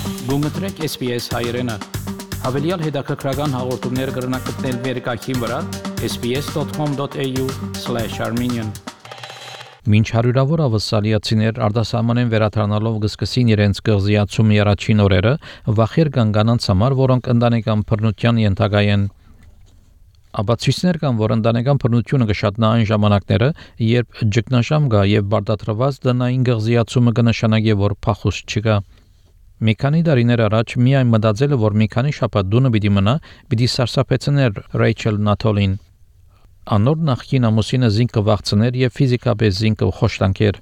Գումտրեք SPS հայերեն։ Հավելյալ հետաքրքրական հաղորդումներ կգրնակցնել վերկայքին վրա sbs.com.au/armenian Մինչ հարյուրավոր ավասալիացիներ արտասահմանեն վերադառնալով կսկսին իրենց կղզիացումի առաջին օրերը, վախեր կան կանանց համար, որոնք ընտանեկան բռնության ենթակա են։ Ապացույցներ կան, որ ընտանեկան բռնությունը կշատնա այն ժամանակները, երբ ճգնաժամ կա եւ բարդացված տնային կղզիացումը կնշանակի, որ փախուստ չկա։ Մի քանի տարիներ առաջ միայն մտածելը, որ մի քանի շաբաթ դունը պիտի մնա, պիտի սարսափեցներ Ռեյչել Նաթոլին։ Անոր նախկին ամուսինը զինքը վախցներ եւ ֆիզիկապես զինքը խոշտանքեր։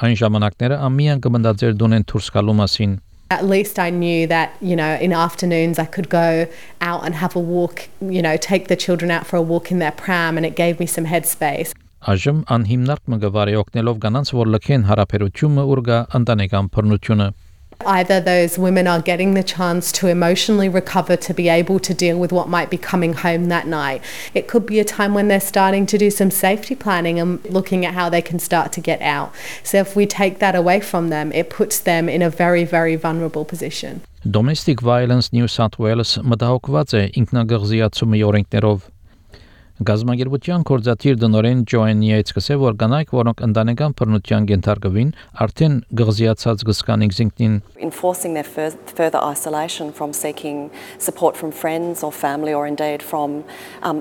Այն ժամանակները ամիան կմտածեր դունեն դուրս գալու մասին։ At least I knew that, in afternoons I could go out and have a walk, take the children out for a walk in their pram, and it gave me some headspace. Այժմ անհիմնարկ մգվարի օգնելով կանանց, որ լքեն հարաբերությունը ուր գա ընտանեկան բռնությունը։ Either those women are getting the chance to emotionally recover to be able to deal with what might be coming home that night. It could be a time when they're starting to do some safety planning and looking at how they can start to get out. So if we take that away from them, it puts them in a very, very vulnerable position. Domestic Violence New South Wales մտահոգված է ինքնագղզիացումի օրենքներով։ Գազագերբության կորզաթիր դնորեն Ջոեն Յեյցը ասել, որ կանայք, որոնք ընտանեկան բռնության կենթարկվին, արդեն գղզիացած կսկան ինքնին։ Enforcing their further isolation from seeking support from friends or family or indeed from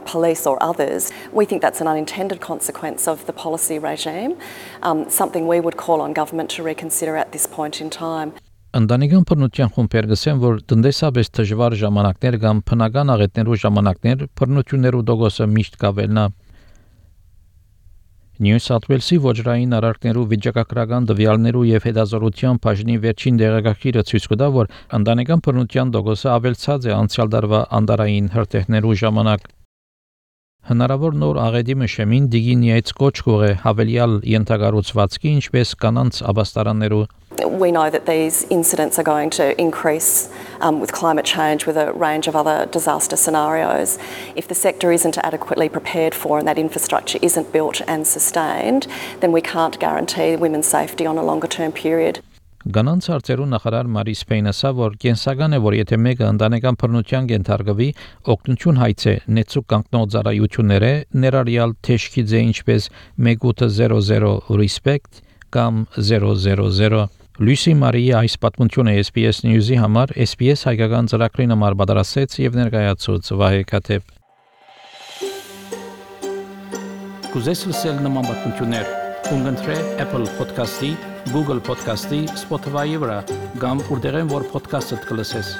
police or others, we think that's an unintended consequence of the policy regime, something we would call on government to reconsider at this point in time. Ընտանեկան բռնության խումբեր գսեն, որ տնտեսապես դժվար ժամանակներ կամ բնական աղետներու ժամանակներ բռնություններու դոգոսը միշտ կավելնա։ Նյու Սաութ Ուելսի ոչռային արարքներու վիճակագրական տվյալներու եւ հետազոտության բաժնի վերջին դեղեկագիրը ցույց կտա, որ ընտանեկան բռնության դոգոսը ավելցած է անցյալ տարվա անդարային հրթեհներու ժամանակ։ Հնարավոր նոր աղետի մշեմին դիգինիայց կոչ կողե հավելյալ ենթակառուցվածքի ինչպես կանանց ապաստարաններու We know that these incidents are going to increase with climate change, with a range of other disaster scenarios. If the sector isn't adequately prepared for and that infrastructure isn't built and sustained, then we can't guarantee women's safety on a longer term period. Գանանց հարցերու նախարար Մարի Սպեյնը ասա, որ կենսական է, որ եթե մեկը ընտանեկան բռնության կենթարկվի, օգնություն հայցե նեցուկ կանգնող ծառայությունները ներառյալ թեժքիձե ինչպես 1800 Respect կամ 000 Լույսի Մարիի այս պատմությունը SPS News-ի համար SPS հայկական ծրագրին համար պատրաստեց եւ ներկայացուց Վահե Քաթեփ։ Կուզես լսել նման պատմություններ, կընտրե Apple Podcast-ի, Google Podcast-ի, Spotify-ի վրա, կամ որտեղեն որ podcast-ը կլսես։